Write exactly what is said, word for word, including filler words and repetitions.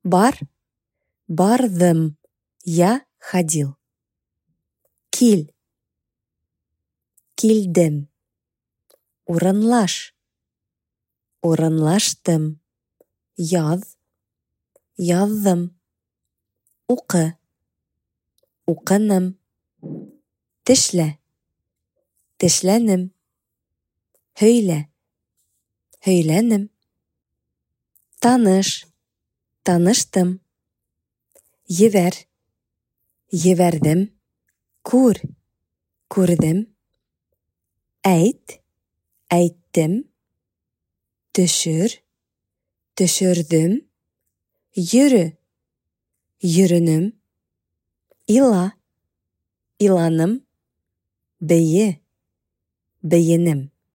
Бар, бардым, я ходил. Кил, килдем. Урынлаш, урынлаштым. Яҙ, яҙҙым. Уҡы, уҡыным. Тешлә, тешләнем. Һөйлә, һөйләнем. Таныш, таныштым. Ебәр, ебәрҙем. Күр, күрҙем. Әйт, әйттем. Төшөр, төшөрҙөм. Йөрө, йөрөнөм. Ила, иланым. Бейе, бейенем.